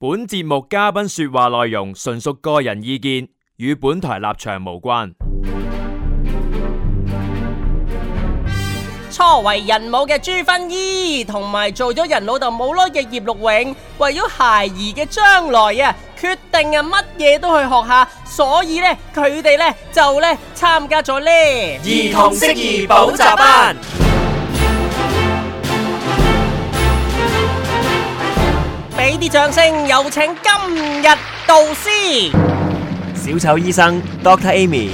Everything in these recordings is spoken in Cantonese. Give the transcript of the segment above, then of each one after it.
本節目嘉賓說話內容純屬個人意見，與本台立場無關。初為人母嘅朱薰姨，同埋做咗人老豆冇耐嘅葉陸永，為咗孩兒嘅將來啊，決定乜嘢都去學下，所以呢，佢哋呢就參加咗兒童適宜補習班。俾啲掌聲，有請今日導師小丑醫生 Dr. Amy。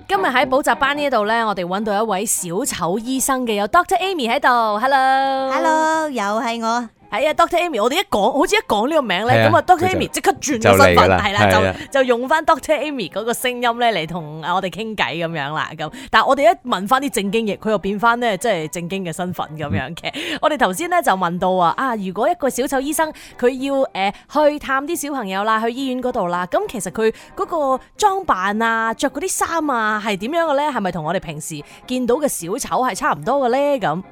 今日喺補習班呢度呢，我哋揾到一位小丑醫生嘅，有 Dr. Amy 喺度。Hello， 又係我。係啊 ，Dr. Amy， 我哋好似一講呢個名咧，咁啊 Dr. Amy 即刻轉咗身份，係啦，就用翻 Dr. Amy 嗰個聲音咧嚟同我哋傾偈咁樣啦。咁，但係我哋一問翻啲正經嘢，佢又變翻咧即係正經嘅身份咁樣嘅。我哋頭先咧就問到如果一個小丑醫生佢要去探啲小朋友啦，去醫院嗰度啦，咁其實佢嗰個裝扮啊、着嗰啲衫啊係點樣嘅咧？係咪同我哋平時見到嘅小丑係差唔多嘅咧？咁？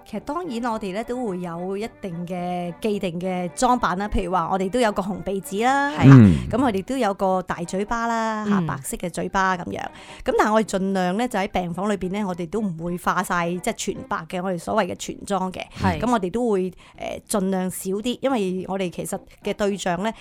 其實當然我哋咧都會有一定嘅既定嘅裝扮啦，譬如話我哋都有個紅鼻子啦，咁我哋都有個大嘴巴啦，白色嘅嘴巴咁樣。咁但係我哋盡量咧就喺病房裏邊咧，我哋都唔會化晒即係全白嘅，我哋所謂嘅全妝嘅。咁我哋都會盡量少啲，因為我哋其實嘅對象咧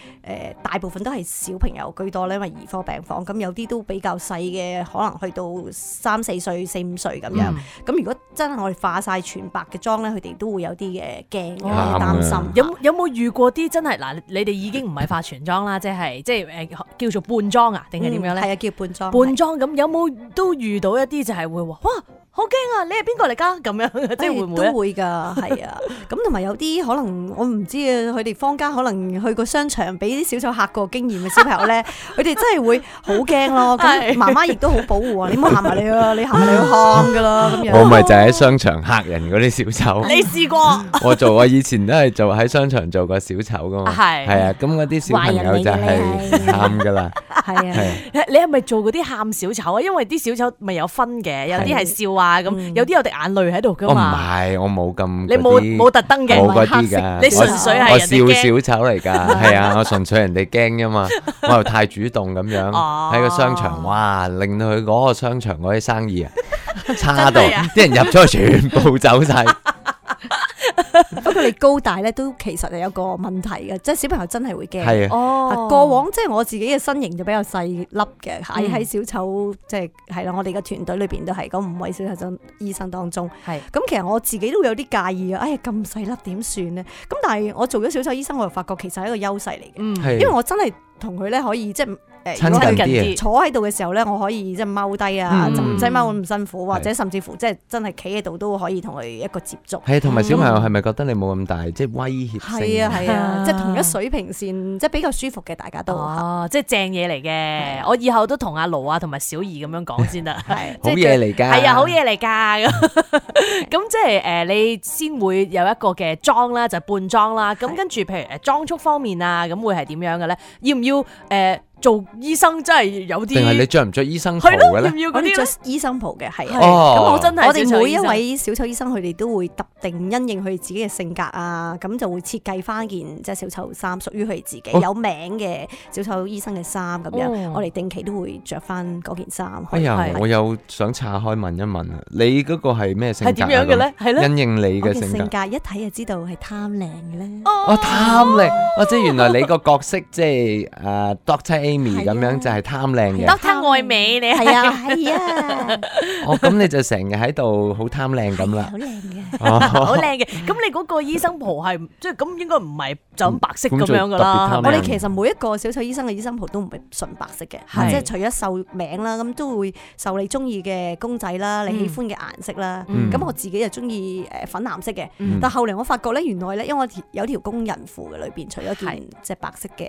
大部分都係小朋友居多咧，因為兒科病房，咁有啲都比較細嘅，可能去到3、4歲、4、5歲咁樣。咁如果真係我哋化晒全白嘅妝咧，佢哋都會有啲嘅驚，有啲擔心。有冇遇過啲真係嗱？你哋已經唔係化全妝啦，即係叫做半妝啊，定係點樣咧？係啊，叫半妝。半妝咁有冇都遇到一啲就係會話哇好驚啊！你係邊個嚟㗎？咁樣即係會唔會？都會㗎，係啊。咁同埋有啲可能我唔知啊，佢哋坊間可能去過商場俾啲小丑嚇過經驗嘅小朋友咧，佢哋真係會好驚咯。咁媽媽亦都好保護啊！你唔好行埋嚟啊！你行埋嚟會喊㗎啦咁樣。我咪就喺商場嚇人嗰啲小丑。你試過？我以前都係做喺商場做過小丑㗎嘛。係啊，咁嗰啲小朋友就係喊㗎啦。係啊，你係咪做嗰啲喊小丑啊？因為啲小丑咪有分嘅，有啲係笑啊咁，有啲有滴眼淚喺度㗎嘛。唔係，我冇咁。你冇特登嘅，冇嗰啲㗎。你純粹係我笑小丑嚟㗎，係啊，我純粹人哋驚啫嘛。我又太主動咁樣喺個商場，哇，令到佢嗰個商場嗰啲生意差到，啲人入咗去全部走晒。不過你高大咧都其實係有個問題嘅，即係小朋友真係會驚。係啊，過往即係我自己嘅身形就比較細粒嘅，喺小丑即係啦，我哋嘅團隊裏邊都係嗰5位小丑醫生當中。係咁，其實我自己都會有啲介意啊！哎呀，咁細粒點算呢？咁但係我做咗小丑醫生，我就發覺其實係一個優勢嚟嘅，因為我真係同佢咧可以即係。親近啲，坐喺度嘅時候咧，我可以即係踎低啊，就唔使踎咁辛苦，或者甚至乎即係真係企喺度都可以同佢一個接觸。係，同埋小朋友係咪覺得你冇咁大，即係威脅性？係啊，即係同一水平線，即係比較舒服嘅，大家都。即係正嘢嚟嘅。我以後都同阿盧啊同埋小儀咁樣講先得。係好嘢嚟㗎。係啊，好嘢嚟㗎。咁即係你先會有一個嘅妝啦，就係半妝啦。咁跟住譬如裝束方面啊，咁會係點樣嘅咧？要唔要做醫生真係有啲，定係你着唔着醫生袍嘅咧？要唔要嗰啲着醫生袍嘅，係。咁我真係我哋每一位小丑醫生，佢哋都會特定因應佢哋自己嘅性格啊，咁就會設計翻件即係小丑衫，屬於佢哋自己有名嘅小丑醫生嘅衫咁樣。我哋定期都會着翻嗰件衫。哎呀，我又想岔開問一問啊，你嗰個係咩性格？係點樣嘅咧？係咧，因應你嘅性格。一睇就知道係貪靚嘅咧。貪靚，即係原來你個角色即係Dr. Amy 咁樣就係貪靚嘅，Dr. 愛美你係啊，咁你就成日喺度好貪靚咁啦，好靚嘅，好靚嘅。咁你嗰個醫生袍係即係咁應該唔係就咁白色咁樣噶啦。我哋其實每一個小丑醫生嘅醫生袍都唔係純白色嘅，即係除咗繡名啦，咁都會繡你中意嘅公仔啦，你喜歡嘅顏色啦。咁我自己就中意粉藍色嘅，但後嚟我發覺咧，原來咧，因為我有條工人褲嘅裏邊，除咗件即係白色嘅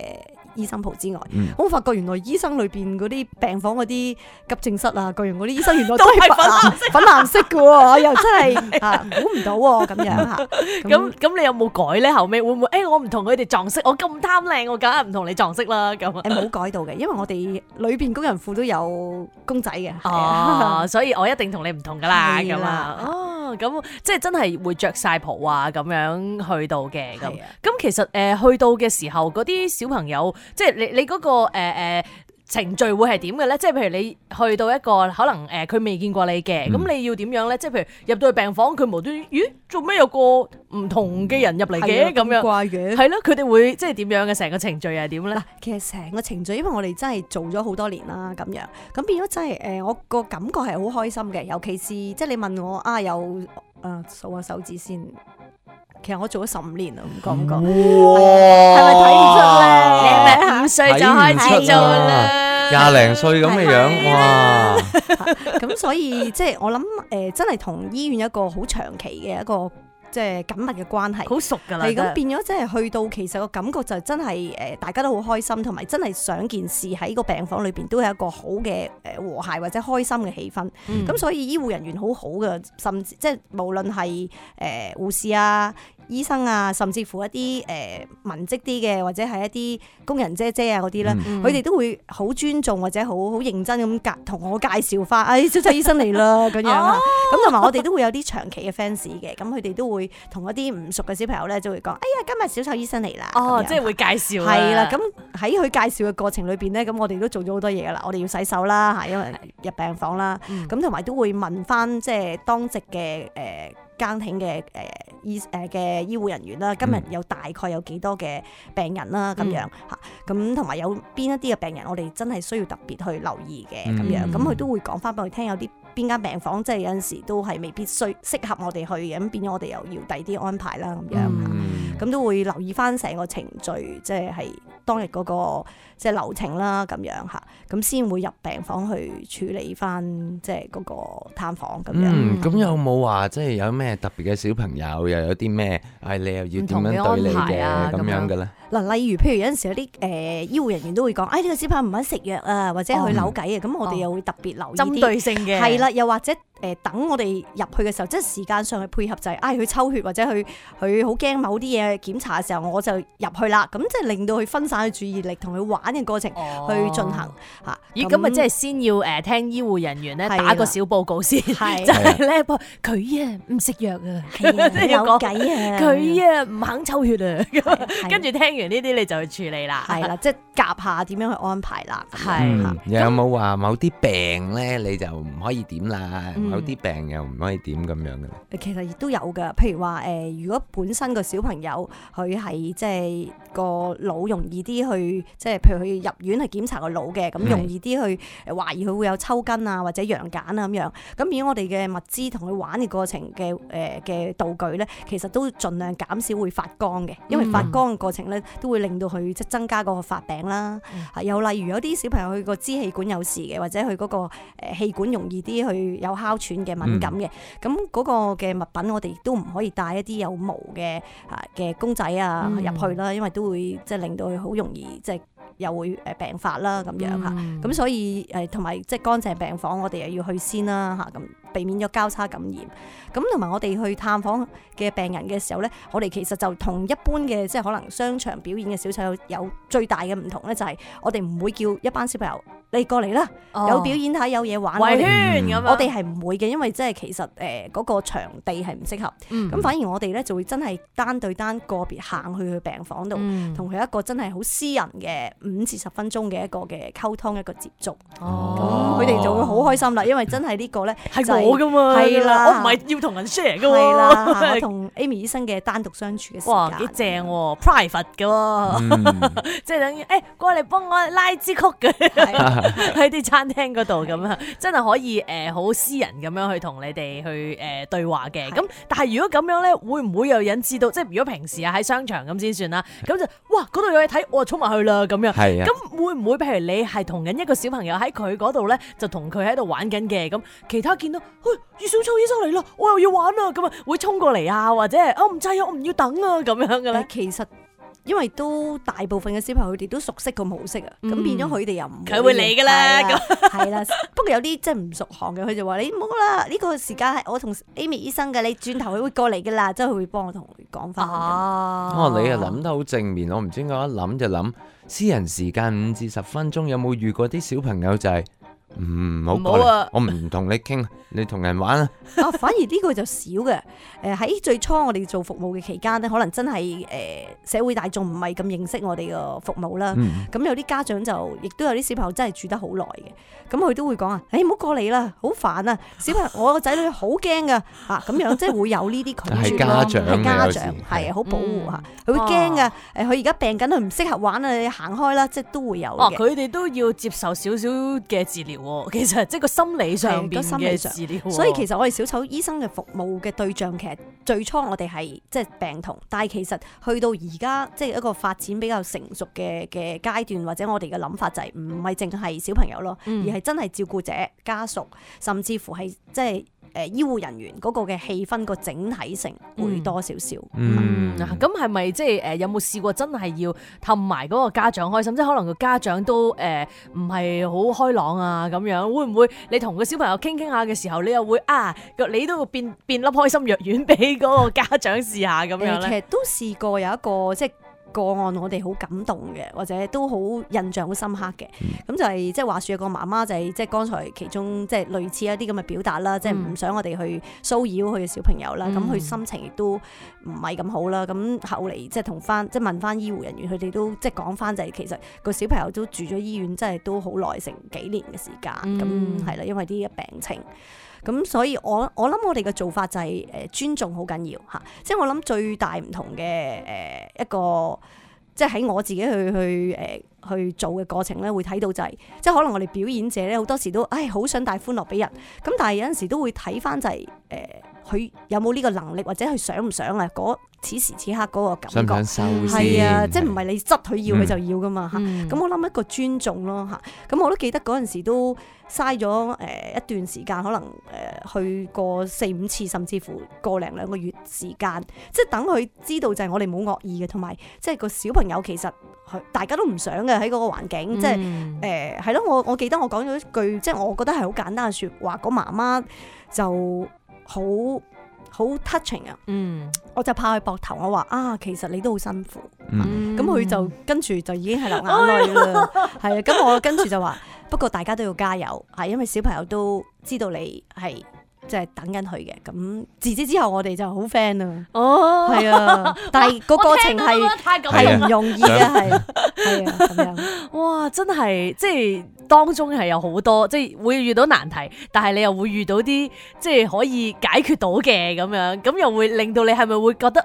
醫生袍之外，我發覺原來醫生裏邊嗰啲病房嗰啲急症室啊，各樣嗰啲醫生原來都係粉藍色嘅喎，又真係估唔到喎咁樣嚇。咁你有冇改咧？後尾會唔會我唔同佢哋撞色，我咁貪靚，我梗係唔同你撞色啦咁。冇改到嘅，因為我哋裏邊工人褲都有公仔嘅。所以我一定同你唔同噶啦咁啊。咁即係真係會着晒袍啊咁樣去到嘅咁。咁其實去到嘅時候，嗰啲小朋友即係你嗰個程序會係點嘅咧？即係譬如你去到一個可能佢未見過你嘅，咁你要點樣咧？即係譬如入到去病房，佢無端端咦做咩有個唔同嘅人入嚟嘅咁樣？怪嘅係咯，佢哋會即係點樣嘅？成個程序係點咧？嗱，其實成個程序，因為我哋真係做咗好多年啦，咁樣咁變咗真係我個感覺係好開心嘅。尤其是即係你問我有數下手指先。其實我做咗15年啦，唔覺唔覺？係咪睇唔出咧？你係咪5歲就開始做啦？20零歲咁嘅樣，哇！咁所以即係我諗真係同醫院一個好長期嘅一個即係緊密嘅關係，好熟㗎啦。係咁變咗，即係去到其實個感覺就真係大家都好開心，同埋真係想件事喺個病房裏邊都係一個好嘅和諧或者開心嘅氣氛。咁所以醫護人員好好嘅，甚至即係無論係護士啊、醫生啊，甚至乎一啲文職啲嘅，或者係一啲工人姐姐啊嗰啲咧，佢哋都會好尊重或者好認真咁同我介紹翻，小丑醫生嚟啦咁樣啊。咁同埋我哋都會有啲長期嘅 fans 嘅，咁佢哋都會同一啲唔熟嘅小朋友咧，就會講：哎呀，今日小丑醫生嚟啦！即係會介紹。係啦，咁喺佢介紹嘅過程裏邊咧，咁我哋都做咗好多嘢噶啦。我哋要洗手啦，因為入病房啦，咁同埋都會問翻即係當值嘅更挺嘅嘅醫護人員啦，今日有大概有幾多嘅病人啦咁樣嚇，咁同埋有邊一啲嘅病人，我哋真係需要特別去留意嘅咁樣，咁佢都會講翻俾我聽，有啲邊間病房即係有陣時都係未必適合我哋去嘅，咁變咗我哋又要第啲安排啦咁樣，咁都會留意翻成個程序，即係當日嗰個即係流程啦咁樣嚇，咁先會入病房去處理翻即係嗰個探訪咁樣。咁有冇話即係有咩特別嘅小朋友，又有啲咩你又要點樣對你嘅咁樣嘅咧？嗱，例如譬如有陣時有啲醫護人員都會講，呢個小朋友唔肯食藥啊，或者去扭計啊，咁我哋又會特別留意啲針對性嘅，係啦，又或者等我哋入去嘅時候，即係時間上去配合就係佢抽血或者佢好驚某啲嘢檢查嘅時候，我就入去啦，咁即係令到佢分散佢注意力，同佢玩嘅過程去進行嚇。咦，咁咪即係先要聽醫護人員咧打個小報告先，就係咧佢唔食藥啊，即係有計啊，佢唔肯抽血啊，跟住聽完呢啲你就去處理啦，係啦，即係夾下點樣去安排啦，又有冇話某啲病咧你就唔可以點啦？有啲病又唔可以點咁樣嘅咧？其實亦都有㗎，譬如話如果本身個小朋友佢係即係個腦容易啲去，即係譬如佢入院去檢查個腦嘅，咁容易啲去懷疑佢會有抽筋啊或者羊癇啊咁樣。咁變咗我哋嘅物資同佢玩嘅過程嘅道具咧，其實都盡量減少會發光嘅，因為發光嘅過程咧都會令到佢即係增加個發病啦。又例如有啲小朋友佢個支氣管有事嘅，或者佢嗰個氣管容易啲去有哮喘嘅敏感嘅，咁嗰個嘅物品我哋亦都唔可以帶一啲有毛嘅公仔啊入去啦，因為都會即係令到佢好容易即係又會病發啦咁樣嚇。咁所以同埋即係乾淨病房我哋又要去先啦嚇，咁避免咗交叉感染。咁同埋我哋去探訪嘅病人嘅時候咧，我哋其實就同一般嘅即係可能商場表演嘅小丑有最大嘅唔同咧，就係我哋唔會叫一班小朋友你過嚟啦，有表演睇有嘢玩，圍圈咁樣，我哋係唔會嘅，因為即係其實嗰個場地係唔適合，咁反而我哋咧就會真係單對單個別行去病房度，同佢一個真係好私人嘅5至10分鐘嘅一個嘅溝通一個接觸，咁佢哋就會好開心啦，因為真係呢個咧係我噶嘛，係啦，我唔係要同人 share 噶喎，係啦，我同 Amy 醫生嘅單獨相處嘅時間，哇幾正喎 ，private 嘅喎，即係等於過嚟幫我拉支曲嘅。喺啲餐廳嗰度咁樣，真係可以好私人咁樣去同你哋去對話嘅。咁但係如果咁樣咧，會唔會又引致到即係如果平時喺商場咁先算啦？咁就哇嗰度有嘢睇，我就衝埋去啦咁樣。咁會唔會譬如你係同緊一個小朋友喺佢嗰度咧，就同佢喺度玩緊嘅，咁其他見到小丑醫生嚟啦，我又要玩啊，咁啊會衝過嚟啊，或者唔制啊，我唔要等啊咁樣嘅咧？因為都大部分嘅小朋友佢哋都熟悉個模式啊，咁變咗佢哋又唔佢會理㗎啦，係啦。不過有啲即係唔熟行嘅，佢就話你唔好啦，呢個時間係我同 Amy 醫生嘅，你轉頭佢會過嚟㗎啦，即係佢會幫我同佢講翻。你又諗得好正面，我唔知點解一諗就諗私人時間5至10分鐘，有冇遇過啲小朋友就係唔好過嚟，我唔同你傾，你同人玩啊！反而呢個就少嘅。喺最初我哋做服務嘅期間咧，可能真係社會大眾唔係咁認識我哋個服務啦。咁有啲家長就亦都有啲小朋友真係住得好耐嘅，咁佢都會講啊，唔好過嚟啦，好煩啊！小朋友，我個仔女好驚噶咁樣即係會有呢啲拒絕咯，係家長係好保護嚇，佢會驚噶。佢而家病緊，佢唔適合玩啊，你行開啦，即係都會有嘅。佢哋都要接受少少嘅治療。其實即係個心理上邊嘅治療，所以其實我哋小丑醫生嘅服務嘅對象，其實最初我哋係即係病童，但係其實去到而家即係一個發展比較成熟嘅階段，或者我哋嘅諗法就係唔係淨係小朋友咯，而係真係照顧者、家屬，甚至乎係即係醫護人員嗰個嘅氣氛個整體性會多少少。咁係咪即係有冇試過真係要氹埋嗰個家長開心？即係可能個家長都唔係好開朗啊咁樣，會唔會你同個小朋友傾下嘅時候，你又會你都會變粒開心藥丸俾嗰個家長試下咁樣咧？其實都試過有一個即係個案，我哋好感動嘅，或者都好印象好深刻嘅。咁就係即係話說有個媽媽就係即係剛才其中即係類似一啲咁嘅表達啦，即係唔想我哋去騷擾佢嘅小朋友啦。咁佢心情亦都唔係咁好啦。咁後嚟即係同翻即係問翻醫護人員，佢哋都即係講翻就係其實個小朋友都住咗醫院，真係都好耐，成幾年嘅時間。咁係啦，因為啲病情。咁所以我諗我哋嘅做法就係尊重好緊要嚇，即係我諗最大唔同嘅一個，即係喺我自己去做嘅過程咧，會睇到就係即係可能我哋表演者咧好多時都好想帶歡樂俾人，咁但係有陣時都會睇翻就係佢有冇呢個能力，或者佢想唔想啊？此時此刻嗰個感覺，想唔想收先？係啊，即係唔係你執佢要佢就要噶嘛嚇。咁我諗一個尊重咯嚇。咁我都記得嗰陣時都嘥咗一段時間，可能去過4-5次，甚至乎個零2個月時間，即係等佢知道就係我哋冇惡意嘅，同埋即係個小朋友其實大家都唔想嘅喺嗰個環境，即係係咯。我記得我講咗一句，即係我覺得係好簡單嘅説話，個媽媽就好 touching 啊！我就拍佢膊頭，我話其實你都好辛苦。咁佢就跟住就已經係流眼淚啦。係啊，咁我跟住就話，不過大家都要加油，係因為小朋友都知道你係即係等緊佢嘅。咁自此之後，我哋就好 friend 啊。係啊，但係個過程係唔容易嘅，係啊咁樣。哇，真係即係當中係有好多，即係會遇到難題，但係你又會遇到啲即係可以解決到嘅咁樣，咁又會令到你係咪會覺得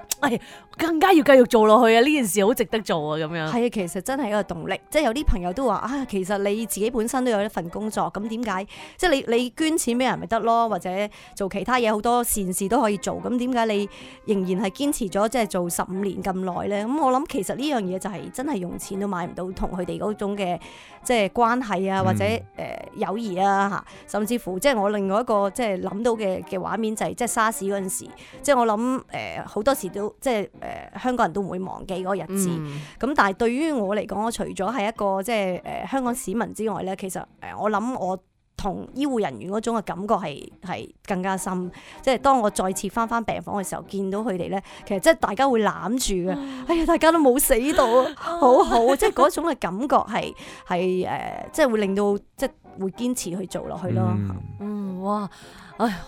更加要繼續做落去啊？呢件事好值得做啊！咁樣係啊，其實真係一個動力。即係有啲朋友都話其實你自己本身都有一份工作，咁點解即係你捐錢俾人咪得咯，或者做其他嘢好多善事都可以做，咁點解你仍然係堅持咗即係做15年咁耐咧？咁我諗其實呢樣嘢就係真係用錢都買唔到同佢哋嗰種嘅即係關係啊，或者友誼啊嚇，甚至乎即係我另外一個即係諗到嘅畫面就係即係沙士嗰陣時，即係我諗好多時都即係香港人都唔會忘記嗰個日子。咁但係對於我嚟講，我除咗係一個即係香港市民之外咧，其實我諗我同醫護人員嗰種嘅感覺係更加深。即係當我再次翻病房嘅時候，見到佢哋咧，其實即係大家會攬住嘅，大家都冇死到，好好，即係嗰種嘅感覺係即係會令到即係會堅持去做落去咯。哇，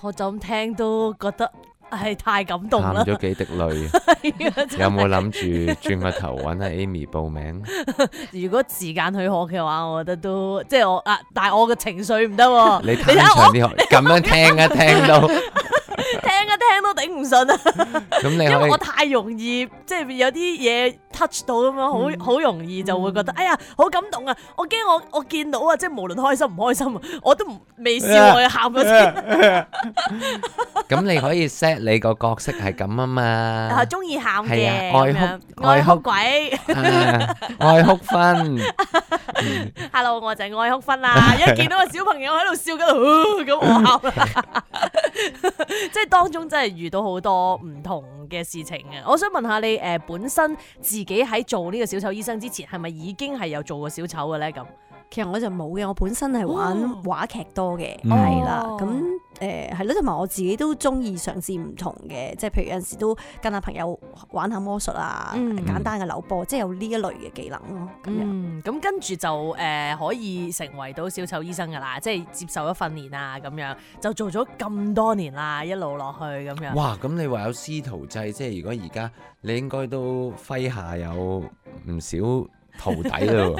我就咁聽都覺得係太感動啦，喊咗幾滴淚。有冇諗住轉個頭揾阿 Amy 報名？如果時間許可嘅話，我覺得都即係我但係我嘅情緒唔得。你睇長啲，咁樣聽到。聽都頂唔順啊！因為我太容易即係有啲嘢 touch 到咁樣，好容易就會覺得好感動啊！我驚我見到啊，即係無論開心唔開心，我都未笑我喊咗先。咁你可以 set 你個角色係咁啊嘛，中意喊嘅，愛哭鬼，愛哭分。Hello， 我就係愛哭分啦！一見到個小朋友喺度笑緊，咁我喊啦。即係當中真係遇到好多唔同嘅事情啊！我想問下你本身自己喺做呢個小丑醫生之前，係咪已經係有做過小丑嘅咧？咁其實我就冇嘅，我本身係玩話劇多嘅，係啦，咁係咯，同埋我自己都中意嘗試唔同嘅，即係譬如有陣時都跟下朋友玩下魔術啊，簡單嘅扭波，即係有呢一類嘅技能咯。咁樣咁跟住就可以成為到小丑醫生噶啦，即係接受咗訓練啊，咁樣就做咗咁多年啦，一路落去咁樣。哇！咁你話有師徒制，即係如果而家你應該都麾下有唔少徒弟咯，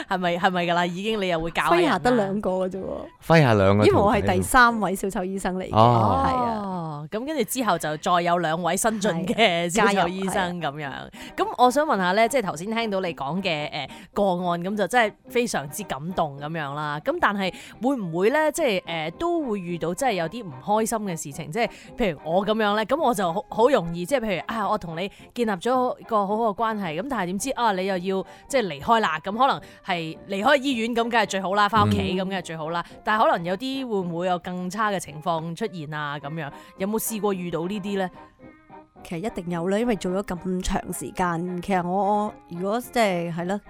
係咪㗎啦？已經你又會教人，麾下得2個嘅啫喎，麾下2個，因為我係第3位小丑醫生嚟嘅，係啊，咁跟住之後就再有2位新進嘅小丑醫生咁樣。咁我想問下咧，即係頭先聽到你講嘅個案，咁就真係非常之感動咁樣啦。咁但係會唔會咧，即係都會遇到即係有啲唔開心嘅事情？即係譬如我咁樣咧，咁我就好容易即係譬如我同你建立咗個好好嘅關係，咁但係點知你又要即係離開啦？咁可能係離開醫院咁，梗係最好啦，翻屋企咁梗係最好啦。但係可能有啲會唔會有更差嘅情況出現啊？咁樣有冇試過遇到呢啲咧？其實一定有啦，因為做咗咁長時間。其實我如果即係咯，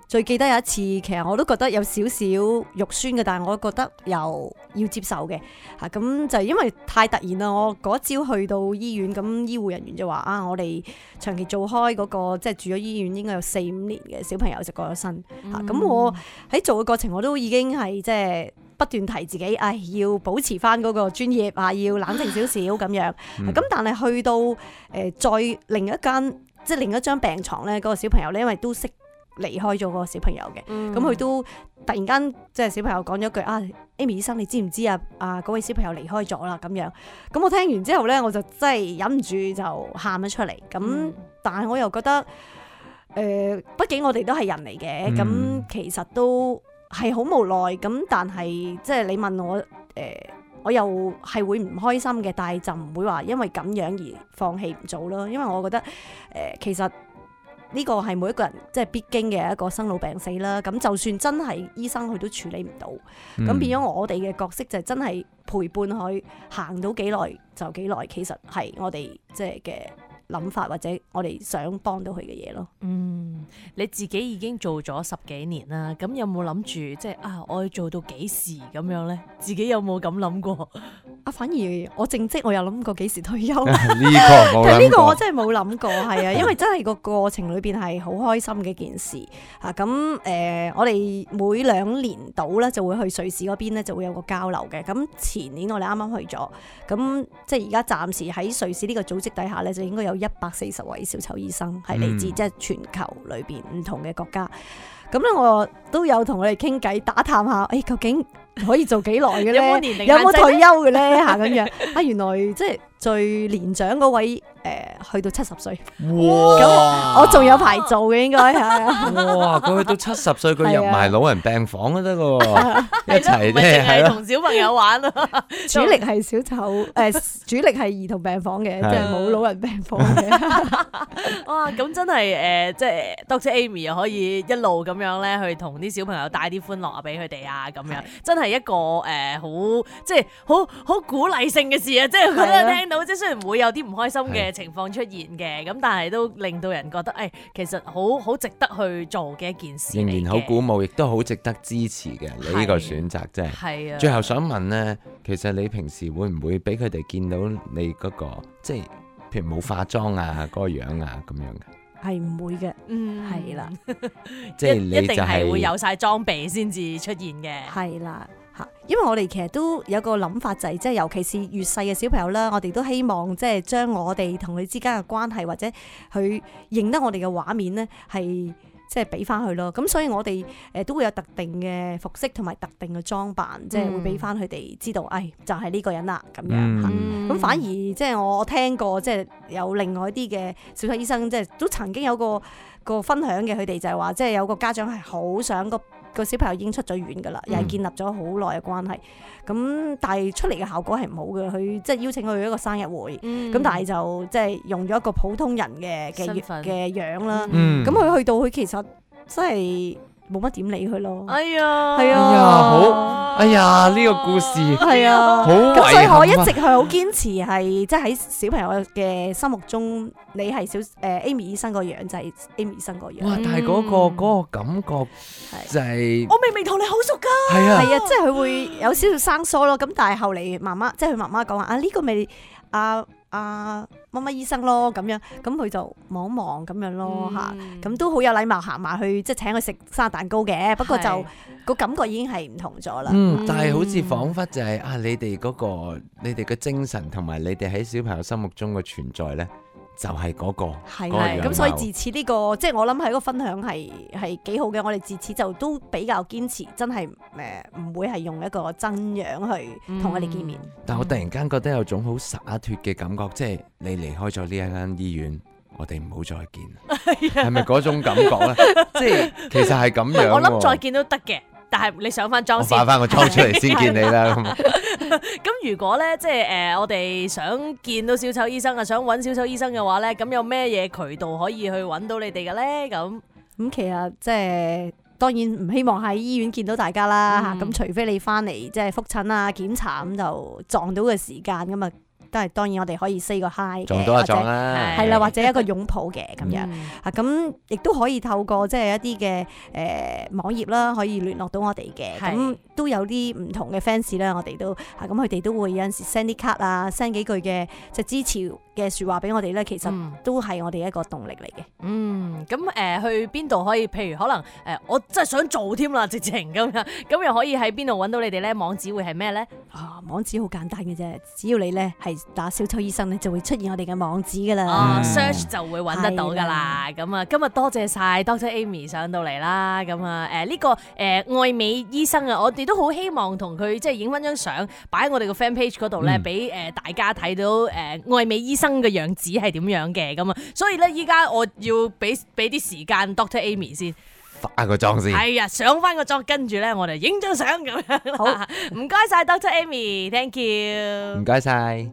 最記得有一次，其實我都覺得有少少肉酸嘅，但係我覺得又要接受嘅嚇。咁就因為太突然啦，我嗰朝去到醫院，咁醫護人員就話我哋長期做開嗰個即係住咗醫院應該有4-5年嘅小朋友就過咗身嚇。咁我喺做嘅過程我都已經係即係不斷提自己，要保持翻嗰個專業要冷靜少少咁樣。咁但係去到再另一張病床咧，嗰個小朋友咧，因為都識離開咗個小朋友嘅，咁佢都突然間即係小朋友講咗句Amy 醫生，你知唔知嗰位小朋友離開咗啦咁樣。咁我聽完之後咧，我就真係忍唔住就喊咗出嚟。咁但係我又覺得畢竟我哋都係人嚟嘅，咁其實都係好無奈。咁但係即係你問我我又係會唔開心嘅，但係就唔會話因為咁樣而放棄唔做咯。因為我覺得其實呢個係每一個人即係必經嘅一個生老病死啦。咁就算真係醫生佢都處理唔到，咁變咗我哋嘅角色就真係陪伴佢行到幾耐就幾耐。其實係我哋即係嘅諗法或者我哋想幫到佢嘅嘢咯。你自己已經做咗10幾年啦，咁有冇諗住即係我要做到幾時咁樣咧？自己有冇咁諗過？反而我正職我有諗過幾時退休，呢個冇諗過。但係呢個我真係冇諗過，係啊，因為真係個過程裏邊係好開心嘅一件事嚇。咁我哋每2年到咧就會去瑞士嗰邊咧就會有個交流嘅。咁前年我哋啱啱去咗，咁即係而家暫時喺瑞士呢個組織底下咧就應該有140位小丑醫生係嚟自即係全球裏邊唔同嘅國家。咁咧我都有同佢哋傾偈打探下，究竟可以做幾耐嘅咧？有冇退休嘅咧？嚇咁樣原來即係最年長嗰位去到70歲。哇！咁我仲有排做嘅應該係。哇！佢去到70歲，佢入埋老人病房都得喎，一齊咧係同小朋友玩啊！主力係小丑主力係兒童病房嘅，即係冇老人病房嘅。哇！咁真係即係 Dr. Amy 又可以一路咁樣咧去同啲小朋友帶啲歡樂俾佢哋咁樣，真係一個好即係好鼓勵性嘅事啊！即係覺得聽到即係雖然會有啲唔開心嘅情況出現嘅，咁但係都令到人覺得其實好值得去做嘅一件事，仍然好鼓舞，亦都好值得支持嘅。你呢個選擇真係。係啊。最後想問咧，其實你平時會唔會俾佢哋見到你嗰個即係譬如冇化妝嗰個樣咁樣嘅？係唔會嘅，係啦，即係你就一定係會有晒裝備先至出現嘅，係啦嚇。因為我哋其實都有個諗法就係，即係尤其是越細嘅小朋友啦，我哋都希望即係將我哋同佢之間嘅關係或者佢認得我哋嘅畫面咧，係即係俾翻佢咯。咁所以我哋都會有特定嘅服飾同埋特定嘅裝扮，即係會俾翻佢哋知道，就係呢個人啦咁樣嚇。咁反而即係我聽過，即係有另外一啲嘅小丑醫生，即係都曾經有個分享嘅，佢哋就係話，即係有個家長係好想個小朋友已經出咗院噶啦，又係建立咗好耐嘅關係。咁但係出嚟嘅效果係唔好嘅，佢即係邀請佢去一個生日會，咁但係就即係用咗一個普通人嘅樣啦。咁佢去到佢其實真係冇乜點理佢咯。哎呀，係啊，好，哎呀，呢個故事係啊，好遺憾啊。咁所以我一直係好堅持係，即係喺小朋友嘅心目中，你係Amy 醫生個樣就係 Amy 醫生個樣。哇！但係嗰個感覺就係我明明同你好熟㗎。係啊，係啊，即係佢會有少少生疏咯。咁但係後嚟媽媽，即係佢媽媽講話啊，呢個咪乜乜醫生咯咁樣，咁佢就望一望咁樣咯嚇，咁都好有禮貌行埋去，即係請佢食生日蛋糕嘅。不過就個感覺已經係唔同咗啦。但係好似彷彿就係你哋嗰個你哋嘅精神同埋你哋喺小朋友心目中嘅存在咧，就係嗰個係咁，所以自此呢個即係我諗係一個分享係幾好嘅。我哋自此就都比較堅持，真係唔會係用一個真樣去同佢哋見面。但我突然間覺得有種好灑脫嘅感覺，即係你離開咗呢一間醫院，我哋唔好再見，係咪嗰種感覺咧？即係其實係咁樣。我諗再見都得嘅。但係你上翻妝先，我化翻個妝出嚟先見你啦。咁如果咧，即係我哋想見到小丑醫生啊，想揾小丑醫生嘅話咧，咁有咩嘢渠道可以去揾到你哋嘅咧？咁其實即係當然唔希望喺醫院見到大家啦嚇。咁除非你翻嚟即係覆診啊、檢查咁就撞到嘅時間咁啊。都係當然，我哋可以 say 個 hi 嘅，撞到就撞啦，係啦，或者一個擁抱嘅咁樣啊，咁亦都可以透過即係一啲嘅網頁啦，可以聯絡到我哋嘅，咁都有啲唔同嘅 fans 啦，我哋都咁佢哋都會有陣時 send 啲卡啊，send 幾句嘅即係支持嘅説話俾我哋咧，其實都係我哋一個動力嚟嘅。咁去邊度可以？譬如可能我真係想做添啦，直情咁樣，咁又可以喺邊度揾到你哋咧？網址會係咩咧？網址好簡單嘅啫，只要你咧係打小丑醫生咧，就會出現我哋嘅網址噶啦。search 就會揾得到噶啦。咁啊，今日多謝晒 Dr. Amy 上到嚟啦。咁啊，呢個愛美醫生啊，我哋都好希望同佢即係影翻張相，擺喺我哋個 fan page 嗰度咧，俾大家睇到愛美醫生嘅樣子係點樣嘅咁啊。所以咧，依家我要俾啲時間 Dr. Amy 先。化個妝先，係啊，上翻個妝，跟住咧我哋影張相咁樣。好，唔該晒 Dr. Amy，thank you，唔該晒。